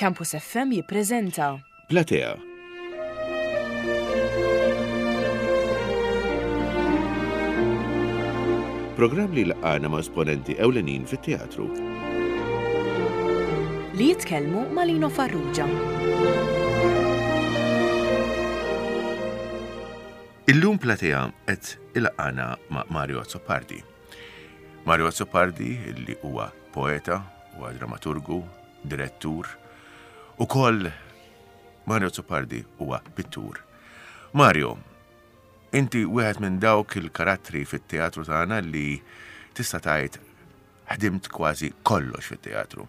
Campus FM jippreżenta. Platea. Programm li jlaqqagħna ma' esponenti ewlenin fit-teatru. Li jitkellmu ma' Lino Farrugia. Illum Platea qed ilaqqagħna ma' Mario Azzopardi. Mario Azzopardi li huwa poeta, huwa dramaturgu, direttur, ukoll Mario Azzopardi huwa pittur. Mario, inti wieħed minn dawk il-karattri fit-teatru tagħna li tista' tgħid ħdimt kważi kollox fit-teatru.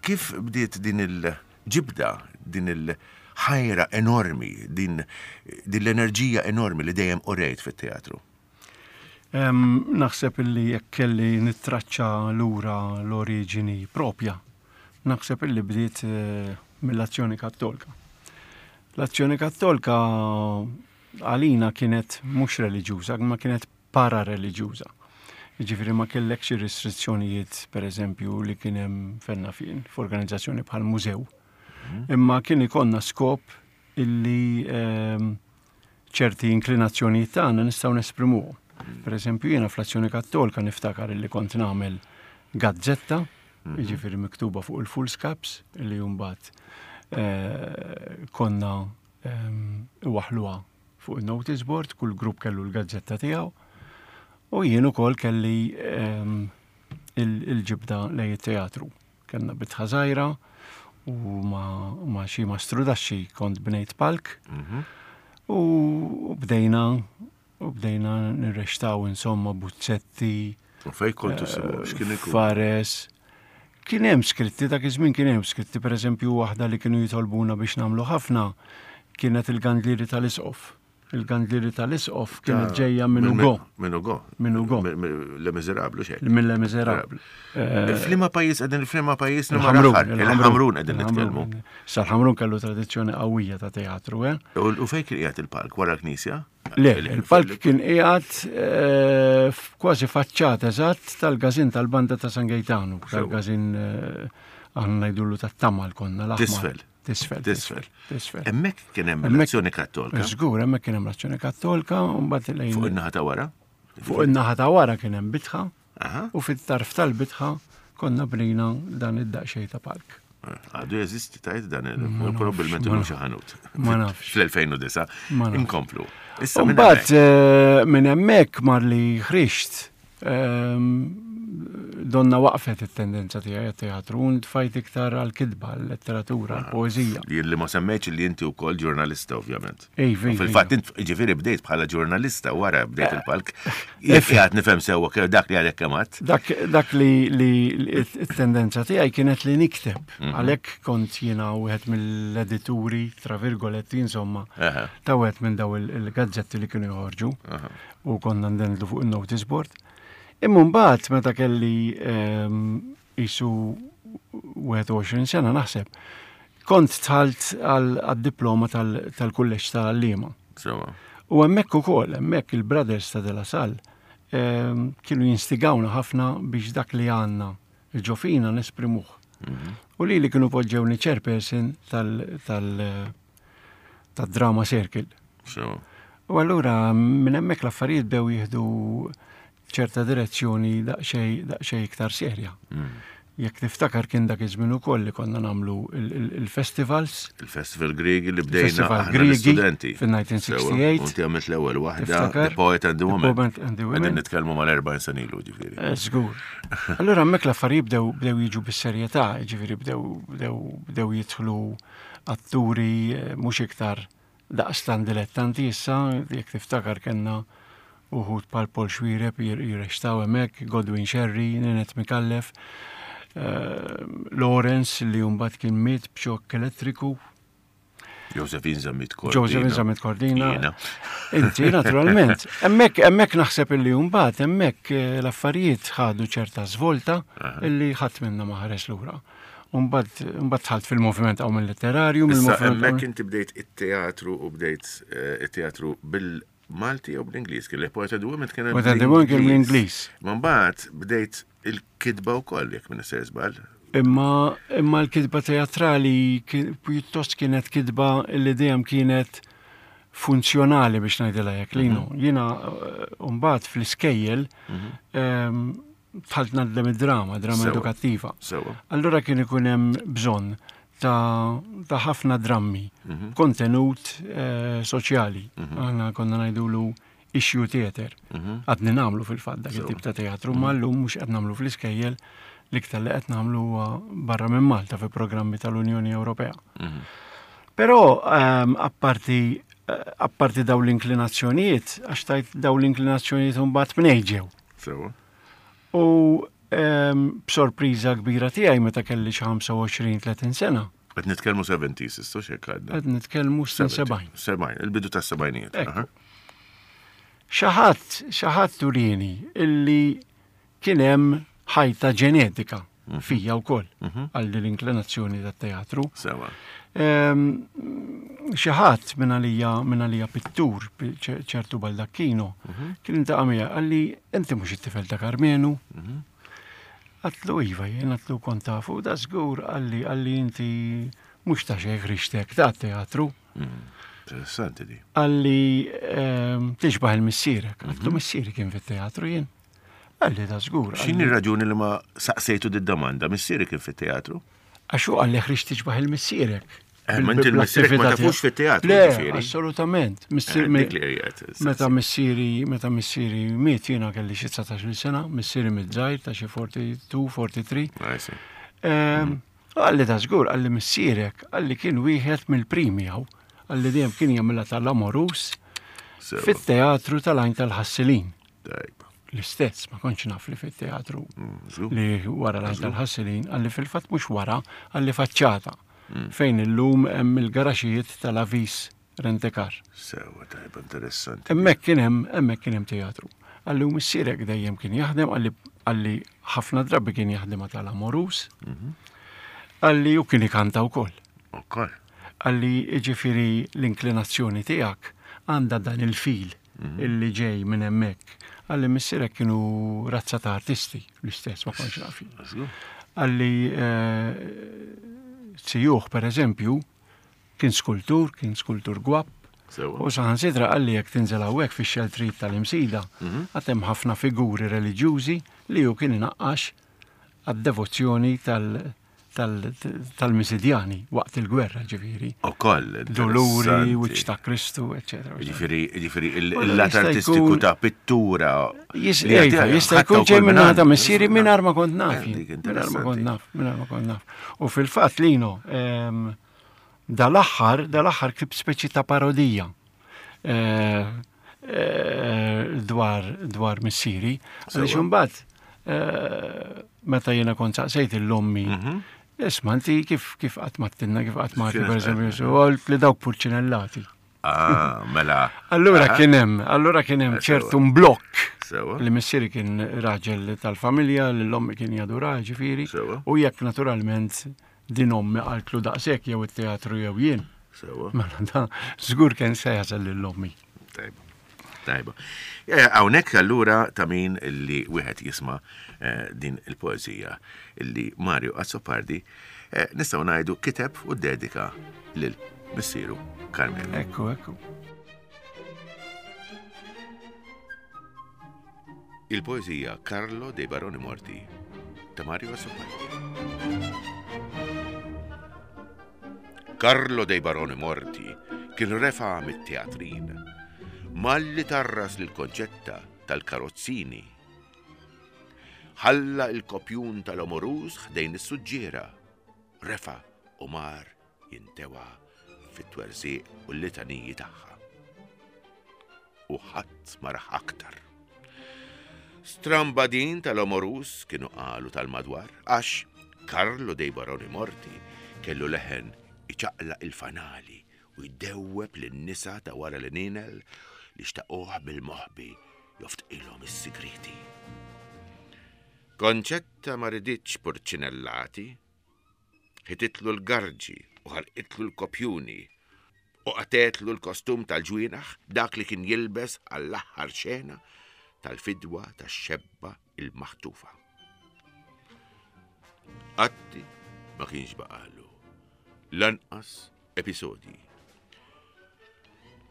Kif bdiet din il-ġibda, din il-ħajra enormi, din, din l-enerġija enormi li dejjem urejt fit-teatru? Naħseb illi jekk kelli nittraċċa lura l-oriġini propja, naħseb illi bdiet eh, mill-azzjoni kattolika. L-azzjoni kattolika għalina kienet mhux reliġjuża, ma kienet parareliġjuża. Jiġifieri ma kellekx ir-restrizzjonijiet, pereżempju, li kien hemm fenna fien f'organizzazzjoni bħal mużew. Mhm. Imma kien ikollna skop illi ehm, ċerti inklinazzjonijiet tagħna nistgħu nesprimuhom. Mhm. Pereżempju, jiena fl-Azzjoni Kattolika niftakar illi kont nagħmel gazzetta, mhm. jiġifieri miktuba fuq il-full scaps, illi mbagħad eh, konna ehm, iwaħluha fuq il-notice board, kull grupp kellu l-gazzetta tiegħu. U jien ukoll kelli ehm, il-ġibda lej it-teatru. Kellna bitħa żgħira u ma xi mastrudaxxi kont bnejt palk. Mhm. U bdejna u bdejna nirrextaw insomma buzzetti. U fej kontu sibu, eh, x'kien ikun? Fares. Kien hemm skritti, dak iż-żmien kien hemm skritti, pereżempju waħda li kienu jitolbuna biex nagħmlu ħafna kienet il-gandlieri tal-isqof. Il-gandlieri tal-isqof kienet ġejja minn Ugo. Minn Ugo. Minn Ugo. Le Miserablu xejn. Minn Le Miserablu. Eh, Flima pajjiż qegħdin flima pajjiż il-Ħamrun. Il-Ħamrun qegħdin nitkellmu. Sa l-Ħamrun kellu tradizzjoni qawwija ta' teatru, eh? U fejn kien qiegħed il-palk wara l-knisja? Le, il-palk kien qiegħed eh, kważi faċċata eżatt tal-każin tal-banda ta' San Gejtanu, tal-każin eh, aħna ngħidulu tat-tamal konna l Tisfel. Tisfel. Tisfel. Tisfel. Hemmhekk kien hemm l-azzjoni kattolka. Żgur, hemmhekk kien hemm l-azzjoni kattolka u mbagħad lejn. Fuq in-naħa ta' wara? Fuq in-naħa ta' wara kien hemm bitħa. U fit-tarf tal-bitħa konna bnejna dan id-daqsxejn ta' palk. Għadu jeżisti tajt dan il-probabbilment illum xi ħanut. Ma nafx. Fl-2009. Inkomplu. Issa minn hemmhekk. Eh, minn hemmhekk mar li ħriġt ehm, donna waqfet it-tendenza tiegħi għat-teatru u ntfajt iktar għall-kitba, għall-letteratura, għall-poeżija. Li ma semmejtx li inti wkoll ġurnalista ovvjament. Iva, iva, Fil-fatt, int ġifieri bdejt bħala ġurnalista wara bdejt eh. il-palk. Jekk qiegħed nifhem sewwa kemm dak li għalhekk kemm għadd. Dak dak li t-tendenza tiegħi kienet li nikteb. Mhm. Għalhekk kont jiena wieħed mill-edituri, tra virgoletti, insomma, ta' wieħed minn daw il-gazzetti li kienu joħorġu u konna ndendlu fuq il-notice board. Imma mbagħad meta kelli ehm, qisu 21 sena naħseb, kont tħalt għad-diploma tal-kulleġġ tal-għalliema. U hemmhekk ukoll, hemmhekk il-Brothers ta' De La Salle ehm, kienu jinstigawna ħafna biex dak li għandna ġofina nesprimuh. Mhm. U li li kienu poġġewni chairperson tal- tad-drama circle. U allura minn hemmhekk l-affarijiet bdew jieħdu ċerta direzzjoni daqsxejn iktar serja. Mm. Jekk tiftakar kien dak iż-żmien ukoll li konna nagħmlu il-festivals. Il-Festival Griegi li bdejna aħna l-istudenti. Fil-1968. Inti għamilt l-ewwel waħda, The Poet and the Woman. Poet and the Woman. Qegħdin nitkellmu mal-40 sena ilu ġifieri. Eh, żgur. Allura hemmhekk l-affarijiet bdew bdew jiġu bis-serjetà, ġifieri bdew bdew bdew jidħlu atturi eh, mhux iktar daqstant dilettanti issa, jekk tiftakar kellna uħud bħal Paul Xuereb jirrextaw hemmhekk, Godwin Scerri, Ninette Micallef, eh, Lawrence li mbagħad kien miet b'xokk elettriku. Josephine Zammit Cordina. Josephine Zammit Cordina. Inti, naturalment. Hemmhekk hemmhekk naħseb illi mbagħad hemmhekk eh, l-affarijiet ħadu ċerta żvolta illi ħadd minna ma ħares lura. Mbagħad dħalt fil-moviment hawn mill-letterarju. Issa hemmhekk inti bdejt it-teatru u bdejt eh, it-teatru bil-Malti jew bl-Ingliż, kien Poet and the Women kien Poet and the Women kien bl-Ingliż. Ma mbagħad bdejt il-kitba wkoll jekk minn ser żball. Imma imma l-kitba teatrali pjuttost kienet kitba li dejjem kienet funzjonali biex ngħidilha hekk linu. Mhm. Jiena eh, mbagħad fl-iskejjel mhm. ehm, dħalt ngħallem id-drama, drama edukattiva. Allura kien ikun hemm bżonn ta' ħafna drammi, mhm. kontenut eh, soċjali. Aħna konna ngħidulu issue theater. Mhm. Għadni nagħmlu fil-fatt dak it-tip ta' teatru, ma mhm. llum mhux qed nagħmlu fl-iskejjel l-iktar li qed nagħmlu huwa barra minn Malta fi programmi tal-Unjoni Ewropea. Mhm. Però ehm, apparti eh, apparti daw l-inklinazzjonijiet, għax tajt daw l-inklinazzjonijiet mbagħad mnej ġew. Sewa. U ehm, b'sorpriża kbira tiegħi meta kelli xi 25-30 sena. Qed nitkellmu 70s, issa x'hekk għadna. Qed nitkellmu snin 70. 70, il-bidu tas-sebgħinijiet. Xi ħadd, xi ħadd turini illi kien hemm ħajta ġenetika mhm. fija wkoll mhm. għal din l-inklinazzjoni tat-teatru. Sewa. Ehm, xi ħadd minn għalija minn għalija pittur ċertu Baldacchino mhm. kien intaqa' miegħi qalli inti mhux it-tifel ta' Karmenu. Għatlu iva jien għatlu kont tafu, da żgur qalli qalli inti mhux ta' xejn ħriġtek ta' teatru. Mm, interessanti di. Qalli ehm, tixbaħ il-missierek. Għatlu mhm. missieri kien fit-teatru jien. Qalli da żgur. X'inhi raġuni li ma saqsejtu di domanda Missieri kien fit-teatru? Għax hu qalli ħriġt tixbaħ il-missierek. Eh, ma inti l-missierek ma tafux fit-teatru. Le, assolutament. Eh, meta missieri, meta missieri miet jiena kelli xi 19 sena, missieri miet żgħir ta' xi 42, 43. Ehm, mm. Qalli ta' żgur, qalli missierek, qalli kien wieħed mill-primi hawn, qalli dejjem kien jagħmilha tal-amorus fit-teatru tal-għajn tal-ħassilin. L-istess, ma kontx naf li fit-teatru mm, li wara l-għajn tal-ħassilin, qalli fil-fatt mhux wara, qalli faċċata. Mm. Fejn illum hemm il-garaxijiet tal-Avis Rentekar. Sewa tajba interessanti. Hemmhekk kien hemm, hemmhekk kien hemm teatru. Qalli u missierek dejjem kien jaħdem, qalli qalli ħafna drabi kien jaħdem tal-Amorus. Mhm. Qalli u kien ikanta wkoll. Ukoll. Qalli jiġifieri l-inklinazzjoni tiegħek għandha dan il-fil mhm. illi ġej minn hemmhekk. Qalli missierek kienu razza ta' artisti l-istess ma kontx naf. Qalli eh, zijuh per eżempju Kien skultur, kien skultur gwapp. U saħansitra qalli jekk tinżel hawnhekk fix-xeltrijiet tal-Imsida, mhm. għad hemm ħafna figuri reliġjużi li hu kien inaqqax għad-devozzjoni tal-Misidjani waqt il-gwerra ġifieri. Ukoll. Doluri, wiċċ ta' Kristu, eċetera. Ġifieri, ġifieri il-lat artistiku ta' pittura. Jista' jkun ġej minn ta' missieri mingħajr ma kont naf. Mingħajr ma kont naf, mingħajr ma kont naf. U fil-fatt Lino, ehm, dal-aħħar, dal-aħħar ktibt speċi ta' parodija eh, eh, dwar dwar missieri. Għaliex imbagħad eh, meta jiena kont saqsejt l-ommi, mhm. Isma' inti kif kif qatt ma tinna kif qatt ma per eżempju, li dawk purċinellati. Ah, mela. Allura ah. kien hemm, allura kien hemm eh, ċertu blokk. Li missieri kien raġel tal-familja, li l-ommi kien jadura, ġifieri. U jekk naturalment din ommi qaltlu daqshekk jew it-teatru jew jien. Sewa. Mela da żgur kien se jasal lil ommi. Tajba. Tajba. Eh, hawnhekk allura ta' min li wieħed jisma' eh, din il-poeżija li Mario Azzopardi nistgħu ngħidu kiteb u dedika lil missieru Carmelo. Ekku, ekku. Il-poeżija Carlo dei Baroni Morti ta' Mario Azzopardi. Carlo dei Baroni Morti kien refa mit-teatrin. Malli tarras lil Konċetta tal-karozzini. Ħalla il-kopjun tal-omoruż ħdejn is-suġġiera. Refa u mar jintewa fit-twerżiq u l-litaniji tagħha. U ħadd ma rah aktar. Stramba din tal-omorus kienu qalu tal-madwar għax Carlo dei Baroni Morti kellu leħen iċaqlaq il-fanali u jdewweb lin-nisa ta' wara l-għnienel li xtaquh bil-moħbi joftqilhom is-sigrieti. Konċetta ma riditx purċinellati, ħititlu l-garġi u ħarqitlu l-kopjuni u qatgħetlu l-kostum tal-ġwienaħ, dak li kien jilbes għall-aħħar xena tal-fidwa tax-xebba il-maħtufa. Atti ma kienx baqalu. Lanqas episodji.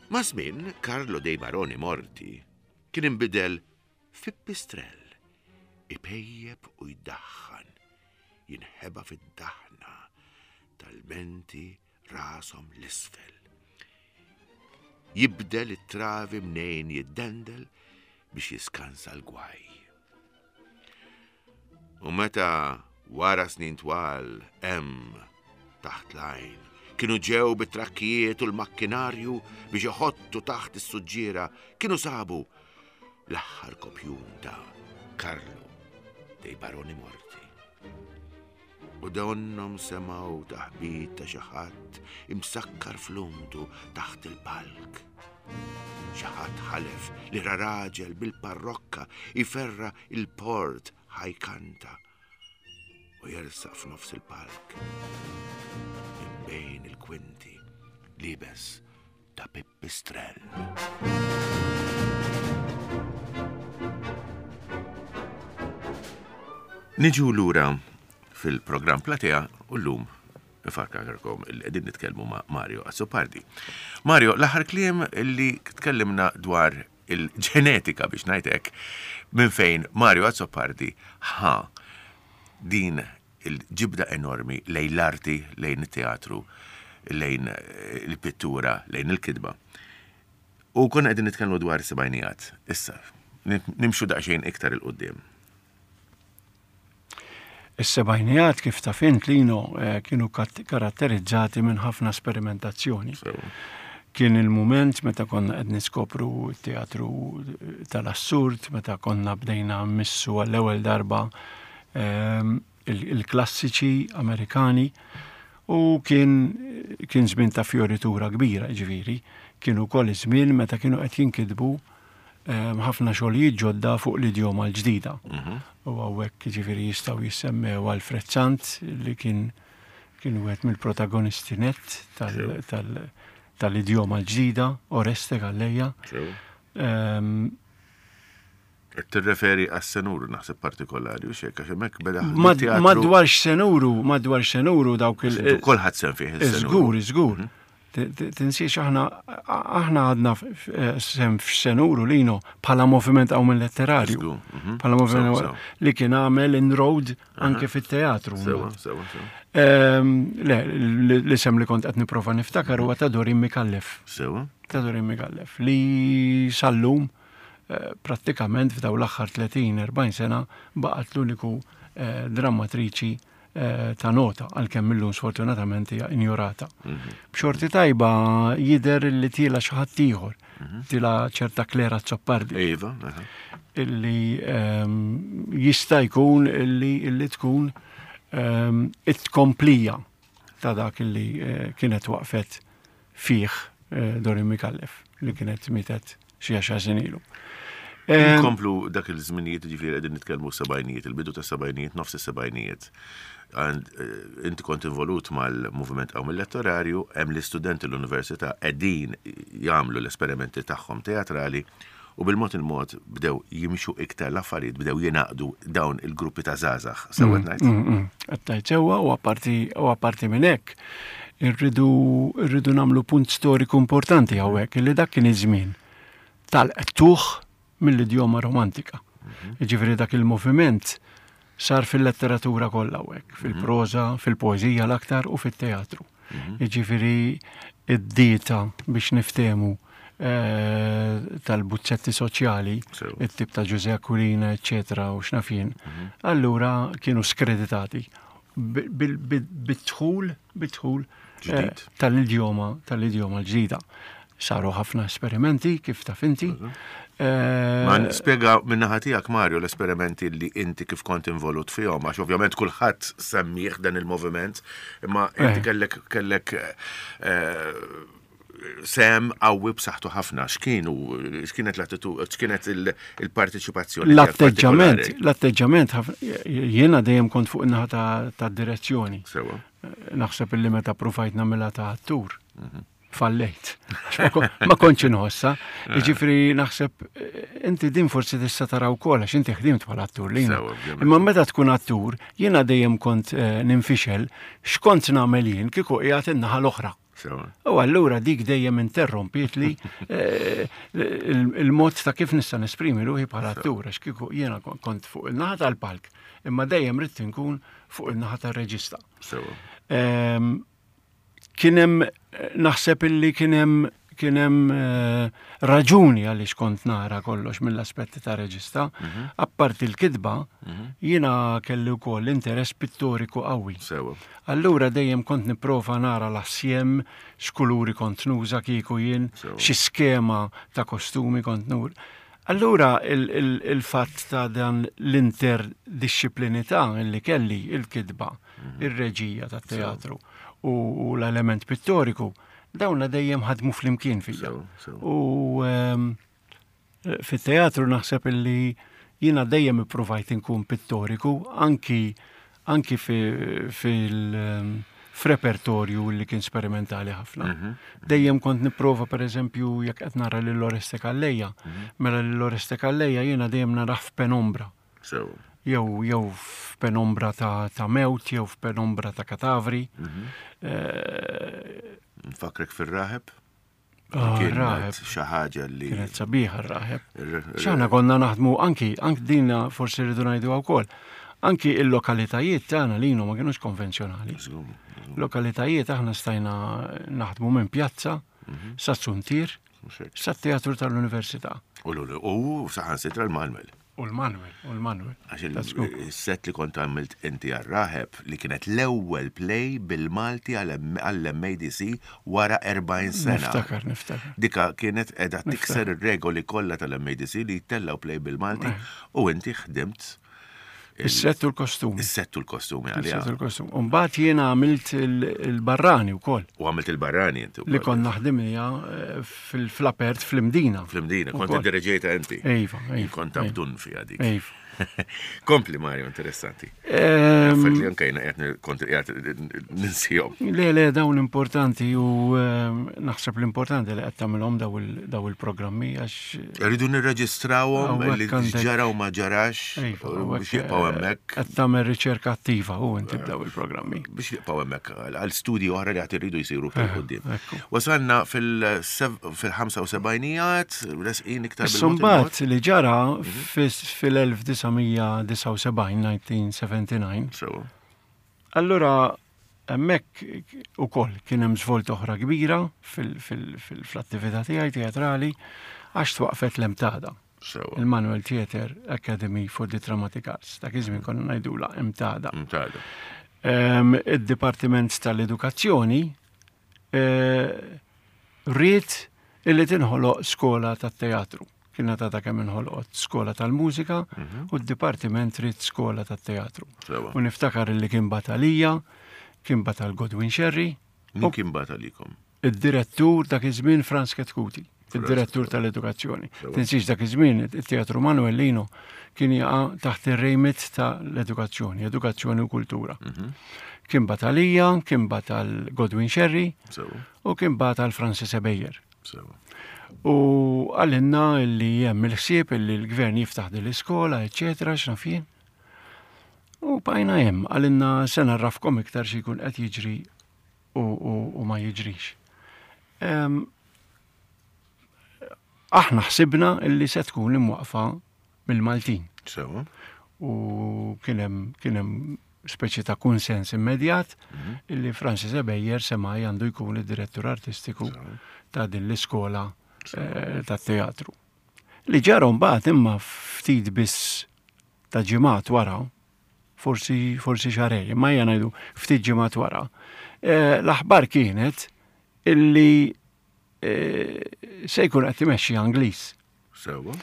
Ma' żmien Carlo dei Baroni Morti kien inbidel fi pistrell, ipejjep u jdaħħan, jinħeba fid-daħna tal-menti rashom l-isfel. Jibdel it-travi mnejn jiddendel biex jiskansa l-gwaj. U meta wara snin twal hemm taħt l-għajn kienu ġew bit-trakkijiet u l-makkinarju biex iħottu taħt is-suġġiera kienu sabu l-aħħar kopjun ta' Carlo dei Baroni Morti. U donnom semgħu taħbit ta' xi ħadd imsakkar fl-umdu taħt il-palk. Xi ħadd ħalef li ra raġel bil-parrokka jferra il-port ħajkanta u jersaq f'nofs il-palk. Minn bejn il-kwinti libes ta' pipistrell. Niġu lura fil-programm Platea u llum nfakkarkom li qegħdin nitkellmu ma' Mario Azzopardi. Mario, l-aħħar kliem li tkellimna dwar il-ġenetika biex ngħid hekk minn fejn Mario Azzopardi ħa din il-ġibda enormi lejn l-arti, lejn it-teatru, lejn il-pittura, lejn il-kitba. U konna qegħdin nitkellmu dwar is-sebgħinijat. Issa, nimxu daqsxejn iktar 'il quddiem. Is-sebgħinijat kif taf int Lino eh, kienu karatterizzati minn ħafna sperimentazzjoni. Kien il-mument meta konna qed niskopru t-teatru tal-assurd, meta konna bdejna mmissu għall-ewwel darba ehm, il-klassiċi Amerikani u kien kien żmien ta' fjoritura kbira, ġifieri, kien ukoll iż-żmien meta kienu qed jinkitbu ehm, ħafna xogħlijiet ġodda fuq l-idjoma l-ġdida. Mhm. U hawnhekk ġifieri jistgħu jissemmew Alfred Sant li kien kien wieħed mill-protagonisti net tal-idjoma l-ġdida, Oreste Galleja. Ehm, Qed tirreferi għas-senuru naħseb partikolari u xek, għax hemmhekk beda. Madwar x'senuru, madwar x'senuru dawk il. Kulħadd sem fih il-senuru. Żgur, żgur. Mhm. Tinsiex aħna aħna għadna eh, sem f'senuru lino bħala moviment għaw minn letterarju. Mhm. Bħala moviment li kien għamel inroad anke fit-teatru. Sewa, sewa, sewa. Ehm, le, l-isem li kont qed nipprova niftakar huwa ta' Dorin Mikallef. Sewa. Ta' Dorin Mikallef li sallum eh, prattikament f'daw l-aħħar 30-40 sena baqgħet l-uniku eh, drammatriċi eh, ta' nota għalkemm illum sfortunatament hija injorata. Mhm. B'xorti tajba jidher li tiela xi ħadd ieħor, mhm. tiela ċerta Klera Zoppardi. Iva, Illi ehm, jista' jkun illi illi tkun ehm, it-tkomplija ta' dak illi eh, kienet waqfet fih eh, Dorin Mikallef li kienet mietet xi għaxar snin ilu. Eh, Nkomplu dak il-żminijiet ġifieri qegħdin nitkellmu sebgħinijiet, il-bidu ta' sebgħinijiet, nofs is-sebgħinijiet. Eh, inti kont involut mal-moviment qawm elettorarju, hemm l-istudenti l-università qegħdin jagħmlu l-esperimenti tagħhom teatrali u bil-mod il-mod bdew jimxu iktar l-affarijiet, bdew jingħaqdu dawn il-gruppi ta' żgħażagħ. Sewwa mm, ngħid? Mm, mm. Qed tgħid sewwa u apparti u apparti minn hekk irridu irridu nagħmlu punt storiku importanti hawnhekk li dak kien iż-żmien tal-qtuħ mill-idjoma romantika. Mhm. Jiġifieri dak il-moviment sar fil-letteratura kollha hawnhekk, mhm. fil-proża, fil-poeżija l-aktar u fit-teatru. Mhm. Jiġifieri id-dieta biex niftehmu eh, tal-buzzetti soċjali, it-tip ta' Ġuże Aquilina, eccetera, u xnafin, mhm. allura kienu skreditati bid-dħul, bid-dħul eh, tal-idjoma, tal-idjoma l-ġdida. Saru ħafna esperimenti, kif taf inti. Mhm. Eh, Ma spiega minnaħa tiegħek Mario l-esperimenti li inti kif kont involut fihom, għax ovvjament kulħadd semmih dan il-moviment, imma inti eh. kellek kellek eh, sem qawwi b'saħħtu ħafna. X'kienu, x'kienet l-attitudni, x'kienet il-parteċipazzjoni? L-atteġġament, l-atteġġament jiena dejjem kont fuq in-naħa ta' direzzjoni. Naħseb illi meta provajt nagħmilha ta' attur. Mhm. Fallejt. Ma kontx inħossa. Eh. Jiġifieri naħseb eh, inti din forsi tista' tara wkoll għax inti ħdimt bħala attur li. Imma meta tkun attur, jiena dejjem kont eh, ninfixel x'kont nagħmel jien kieku qiegħed in-naħa l-oħra. U allura dik dejjem interrompiet li il-mod ta' kif nista' nesprimi ruħi bħala attur għax kieku jiena kont fuq il-naħa tal-palk, imma dejjem ridt inkun fuq il-naħa tar-reġista. Ehm, kien hemm naħseb illi kien hemm kien hemm eh, raġuni għaliex kont nara kollox mill-aspetti ta' reġista. Mhm. Apparti l-kitba, mhm. jiena kelli wkoll interess pittoriku qawwi. Allura dejjem kont nipprova nara l-assjem, x'kuluri kont nuża kieku jien, xi skema ta' kostumi kont nur. Allura il-fatt ta' dan l-interdixxiplinità li kelli il-kitba, mhm. ir-reġija tat-teatru u l-element pittoriku, dawna dejjem ħadmu flimkien fija. U ehm, fit-teatru naħseb illi jiena dejjem ippruvajt inkun pittoriku anki anki fil ehm, f'repertorju li kien sperimentali ħafna. Mhm. Dejjem kont nipprova per eżempju jekk qed nara lil Oreste Calleja, mhm. mela lil Oreste Calleja jiena dejjem narah f'penombra. Sewa. Jew jew f'penombra ta', ta mewt, jew f'penombra ta' katavri. Mm -hmm. eh, Nfakrek fir-raħeb? Ah, Kienet xi ħaġa li. Kienet sabiħa r-raħeb. X'aħna konna naħdmu anki, anki dina forsi rridu ngħidu wkoll. Anki il-lokalitajiet tagħna li ma kienux konvenzjonali. Lokalitajiet aħna stajna naħdmu minn pjazza mhm. sa suntier Sat-teatru tal-Università. U l-u saħansitra l-Manuel. U l-Manuel, u l-Manuel. Għax il-set li kont għamilt inti għal-Raheb li kienet l-ewwel play bil-Malti għall-MADC wara 40 sena. Niftakar, niftakar. Dika kienet edha tikser ir-regoli kollha tal-MADC li jtellaw play bil-Malti eh. u inti ħdimt Is-sett u l-kostumi. Is-sett u l-kostumi għalija. Is-sett u l-kostumi. Umbagħad jiena għamilt il-barrani wkoll. U għamilt il-barrani inti. Li konna ħdimnija eh, fil-apert fl-Imdina. Fl-Imdina, kont id-direġejta inti. Iva, iva. Kont abdun fiha dik. Iva. Kompli Mario, interessanti. Ehm, Affarijiet li anke jiena qed kont qiegħed ninsihom. Le, le, dawn importanti u ehm, naħseb l-importanti li qed tagħmilhom daw il-programmi għax. Rridu nirreġistrawhom li ġara u ma ġarax iva, biex jibqgħu hemmhekk. Qed tagħmel riċerka attiva u inti b'daw il-programmi. Biex jibqgħu hemmhekk għal studji oħra li qed iridu jsiru fil eh, quddiem. Wasalna fil-75ijiet, resqin iktar bil Imbagħad li ġara mhm. fil-1979, 1979. Allura Hemmhekk ukoll kien hemm żvolta oħra kbira fl-attività tiegħi teatrali għax twaqfet l-MTADA. Il-Manuel Theatre Academy for the Dramatic Arts. Dak iż-żmien konna ngħidula MTADA. MTADA. Ehm, id-Dipartiment tal-Edukazzjoni eh, ried illi tinħoloq skola tat-teatru. Kienet għadha kemm inħolqot skola tal-mużika mhm. u d-dipartiment ried skola tat-teatru. U niftakar li kien batalija, kien batal Godwin Sherry. Min kien batalikom? Id-direttur dak iż-żmien Franz Ketkuti, id-direttur tal-edukazzjoni. Tinsiex dak iż-żmien it-Teatru Manuelino kien jaqa' taħt ir-remit tal-edukazzjoni, edukazzjoni u kultura. Mhm. Kien batalija, kien batal Godwin Sherry u kien batal Francis Ebejer. U għalinna li hemm il-ħsieb li l-gvern jiftaħ din l-iskola, eċetera, x'naf jien. U bqajna hemm, għalinna se narrafkom iktar xi jkun qed jiġri u, u, u ma jiġrix. Aħna ħsibna illi se tkun imwaqfa mill-Maltin. Sewa. U kien hemm kien hemm speċi ta' kunsens immedjat mhm. illi Francis Ebejer semaj għandu jkun id-direttur artistiku ta' din l-iskola eh, ta' teatru. Li ġara mbagħad imma ftit biss ta' ġimgħat wara, forsi forsi xarej, imma ejja ngħidu ftit ġimgħat wara, eh, l-aħbar kienet illi eh, se jkun qed imexxi Angliż. Sewa.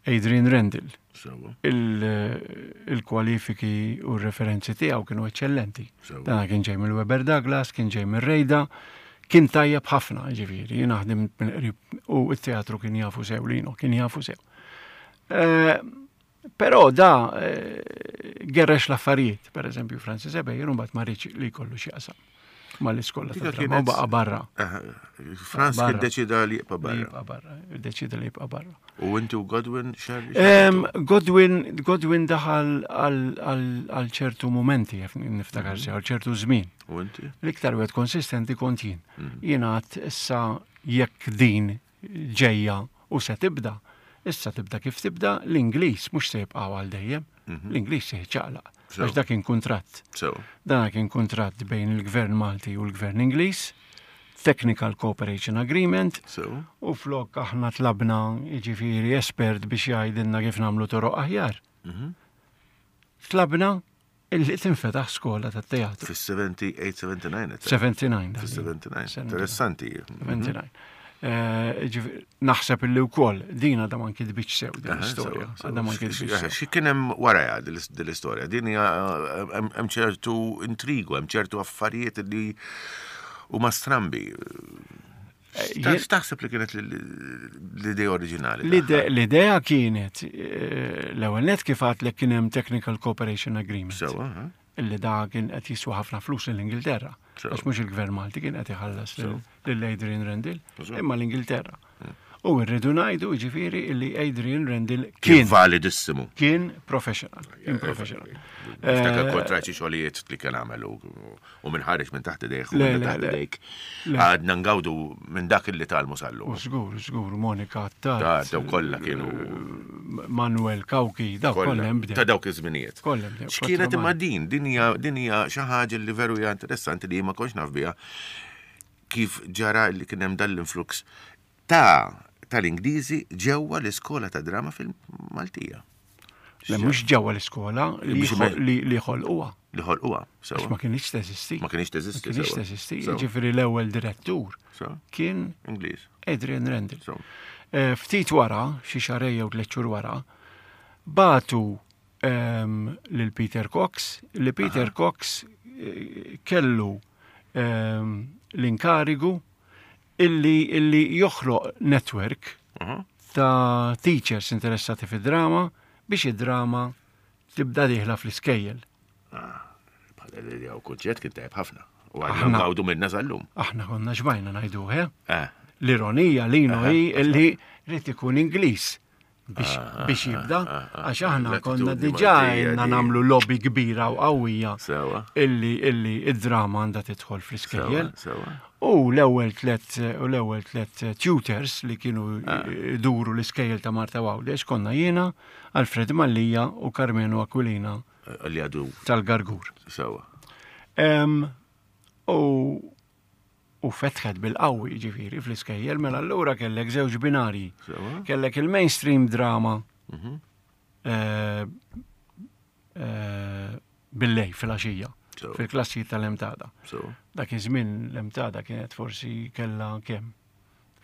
Adrian Randall. Sewa. Il-kwalifiki u r-referenzi tiegħu kienu eċċellenti. Dan kien ġej mill-Weber Douglas, kien ġej mir-Rejda, kien tajjeb ħafna, ġifieri, jien naħdem mill-qrib u t-teatru kien jafu sew lino, kien jafu sew. Eh, però da eh, gerrex l-affarijiet, per eżempju Francis Ebejer, mbagħad ma li jkollu xi qasam. mal-iskola ta' drama u baqa' barra. Frans kien deċida li jibqa' barra. Jibqa' barra, deċida li jibqa' barra. U inti u Godwin xerri? Godwin, Godwin daħal għal ċertu momenti, niftakar mhm. sew, għal ċertu żmien. U inti? L-iktar wieħed konsistenti kont jien. Mhm. Jien għad issa jekk din ġejja u se tibda, issa tibda kif tibda, l-Ingliż mhux se jibqgħu għal dejjem, mhm. l-Ingliż se jiċċaqlaq. Għax dak kien kuntratt. Dan kien kuntratt bejn il-Gvern Malti u l-Gvern Ingliż, Technical Cooperation Agreement, u flok aħna tlabna jiġifieri espert biex jgħidilna kif nagħmlu toroq aħjar. Mhm. Tlabna illi tinfetaħ skola ta' teatru. Fis-78, 79. 79. Fis-79. Interessanti. 79. Eh, naħseb illi wkoll din għadha ma nkitbitx sew din l-istorja. Għadha ma nkitbitx sew. Xi kien hemm wara din l-istorja? Din hija hemm ċertu intrigu, hemm ċertu affarijiet li huma strambi. Eh, x'taħseb li kienet l-idea oriġinali? L-idea kienet eh, l-ewwel net kif għadlek kien hemm Technical Cooperation Agreement. Sewa, Illi da kien qed jiswa ħafna flus lill-Ingilterra. Għax mhux il-gvern Malti kien qed iħallas lil Adrian Rendell, imma l-Ingilterra. Hmm. U rridu ngħidu jiġifieri illi Adrian Rendell kien validissimu. Kien professional, kien professional. Niftakar eh, kontra xi xogħlijiet li kien għamel u minn ħareġ minn taħt idejh u minn taħt idejk. Għadna ngawdu minn dak li talmu sallu. U żgur, żgur, Monika Attard. Daw kollha kienu. Manuel Kawki, daw kollha hemm bdew. Ta' dawk iż-żminijiet. Kollha bdew. X'kienet imma din, din hija din hija xi ħaġa li veru hija interessanti li ma kontx naf biha kif ġara li kien hemm dan l-influx ta' tal-Ingliżi ġewwa l-iskola ta' drama fil-Maltija. Le mhux ġewwa l-iskola li ħolquha. Li ħolquha, sewa. Ma kienx teżisti. Ma kienx teżisti. Ma kienx teżisti. Ġifieri l-ewwel direttur kien Ingliż. Adrian Randall. Eh, ftit wara, xi xarej jew tliet xhur wara, batu ehm, lil Peter Cox, li Peter Cox eh, kellu ehm, l-inkarigu illi illi joħloq network ta' teachers interessati fid-drama biex id-drama tibda dieħla fl-iskejjel. Ah, bħala l-idea u kunċett kien tajb ħafna. U għadna ngawdu minna sal-lum. Aħna konna xbajna ngħidu, eh? eh. L-ironija li hi illi rrid ikun Ingliż biex ah, ah, jibda, ah, għax aħna konna diġà jenna namlu lobby kbira u qawwija illi illi id-drama għandha tidħol fl-iskejjel. U l-ewwel tlet u l-ewwel tlet tutors li kienu duru l-iskejjel ta' Marta Għawdex konna jiena, Alfred Mallija u Carmenu Aquilina li għadu tal-Gargur. Sewa. U u fetħet bil-qawwi ġifieri fl-iskejjel, mela allura kellek żewġ binarji. Kellek il-mainstream drama mhm. eh, eh, bil-lej fil-għaxija, fil-klassi tal-emtada. Dak iż-żmien l-emtada kienet forsi kella kemm?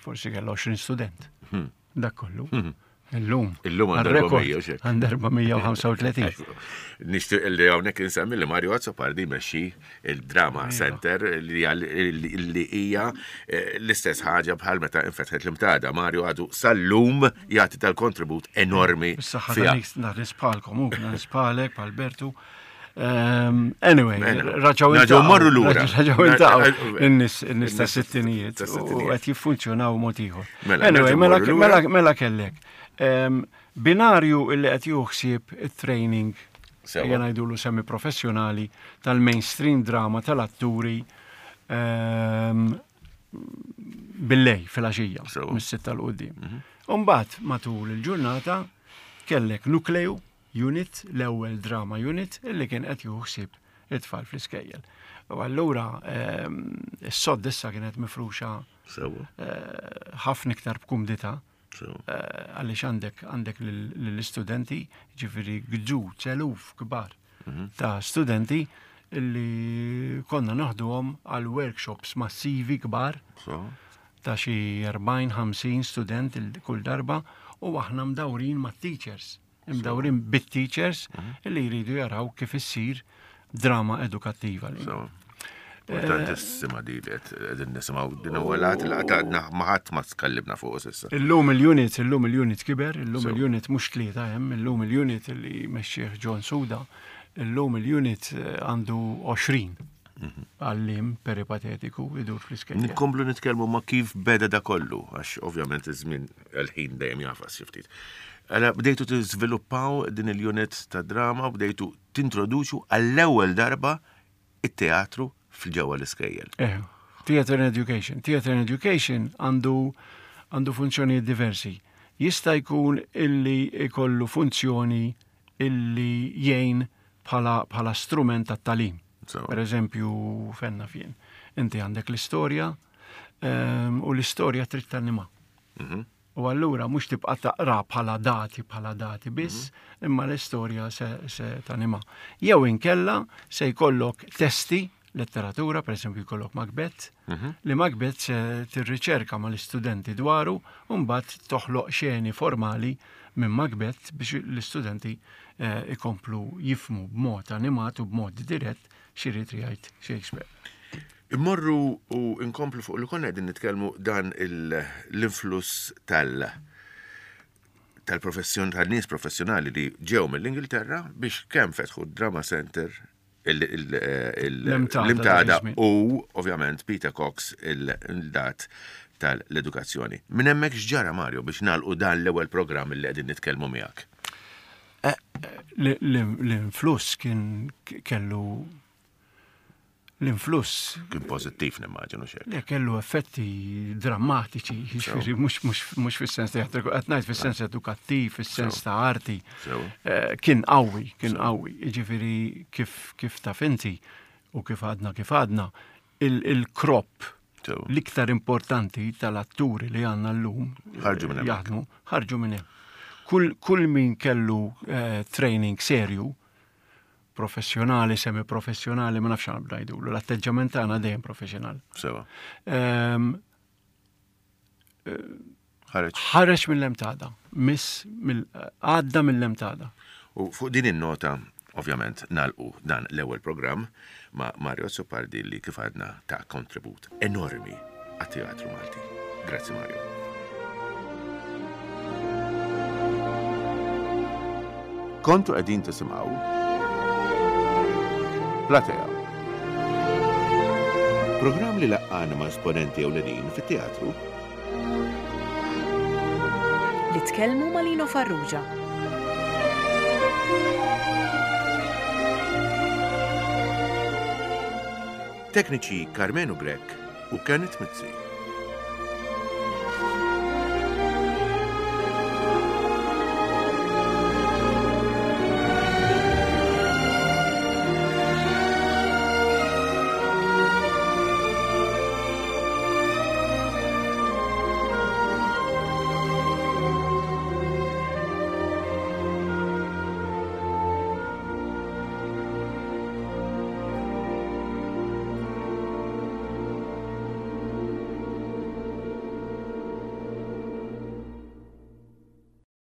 Forsi kella 20 student. Mhm. Dak kollu. Mhm. Illum. Illum għand 435. Nixtieq li hawnhekk insemmi li Mario Azzopardi jmexxi il-Drama iva. Center li hija eh, l-istess ħaġa bħal meta infetħet l-imtada. Mario għadu sal-lum jagħti tal-kontribut enormi. Saħħa nisbħalkom, u nisbħalek, bħal Bertu. Ehm, anyway, raġaw Raġaw marru lura. Raġaw intaqgħu in-nies ta' sittinijiet u qed jiffunzjonaw mod ieħor. Mela, anyway, mela, mela, mela kellek. Ehm, binarju illi qed juħsib it-training ejja ngħidulu semi professjonali tal-mainstream drama tal-atturi ehm, billej fil-għaxija, mis-sitta l-qudiem. Mhm. Umbagħad matul il-ġurnata kellek nukleju Unit, l-ewwel drama unit illi kien qed jieħu ħsieb it-tfal fl-iskejjel. U allura ehm, is-sodd issa kienet mifruxa eh, ħafna iktar b'kumdità. Eh, għaliex għandek għandek lill-istudenti, ġifieri gġu eluf kbar mhm. ta' studenti illi konna naħduhom għal workshops massivi kbar ta' xi 40-50 student kull darba u aħna mdawrin mat-teachers imdawrin bit-teachers mhm. li jridu jaraw kif issir drama edukattiva. Importantissima di li qegħdin nisimgħu din ewwel għad li għadna ma ħadd ma tkellimna fuq s'issa. Illum il-unit, illum il-unit kiber, illum il-unit mhux tlieta hemm, illum il-unit li mexxih John Suda, illum il-unit eh, għandu 20. għallim peripatetiku idur fl-iskejjel. Nkomplu nitkellmu ma kif beda da kollu, għax ovvjament iż-żmien il-ħin dejjem jafas xi ftit. Għala bdejtu tiżviluppaw din il-unit ta' drama, bdejtu tintroduċu għall-ewwel darba it-teatru fil-ġewwa l-iskejjel. Eh, theater and education. Theater and education għandu għandu funzjonijiet diversi. Jista' jkun illi ikollu funzjoni illi jgħin bħala, bħala strument tat-talim. Per eżempju, fenna fien. Inti għandek l-istorja ehm, u l-istorja trid tanima. Mhm. U allura mhux tibqa' taqra bħala dati bħala dati biss, mhm. imma l-istorja se, se tanima. Jew inkella se jkollok testi letteratura, per eżempju jkollok Macbeth, mhm. li Macbeth se tirriċerka mal-istudenti dwaru u mbagħad toħloq xeni formali minn Macbeth biex l-istudenti eh, ikomplu jifmu b'mod animat u b'mod dirett x'irid jgħid Shakespeare. Immorru u nkomplu fuq li konna qegħdin nitkellmu dan l-influss tal- tal-professjon tal-nies professjonali li ġew mill-Ingilterra biex kemm fetħu d-Drama Center l-imtada u ovvjament Peter Cox il-dat tal-edukazzjoni. Minn hemmhekk x'ġara Mario biex nagħlqu dan l-ewwel programm li qegħdin nitkellmu miegħek? Eh, l-influss kien kellu l-influss. Kien pożittiv nimmaġinu xejn. Le kellu effetti drammatiċi, jiġifieri mhux fis-sens teatriku, qed ngħid fis-sens edukattiv, fis-sens ta' arti. Eh, kien qawwi, kien qawwi, jiġifieri kif kif taf inti u kif għadna kif għadna, il-krop l-iktar importanti tal-atturi li għandna llum ħarġu minn jaħdmu, ħarġu minn hemm. Kull, kull min kellu eh, training serju, professjonali, semi-professjonali, ma nafx għan ngħidulu, l-atteġġament tagħna dejjem professjonali. Sewa. Ehm, eh, ħareġ. Ħareġ mill-emtada, miss għadda mill-emtada. U fuq din in-nota, ovvjament, nalqu dan l-ewwel programm ma' Mario Azzopardi li kif għadna ta' kontribut enormi għat-teatru Malti. Grazzi Mario. Kontu qegħdin tisimgħu Platea. Programm li laqqana ma' esponenti ewlenin fit-teatru Li tkellmu ma' Lino Farrugia. Tekniċi Karmenu Grech u Kenneth Mizzi.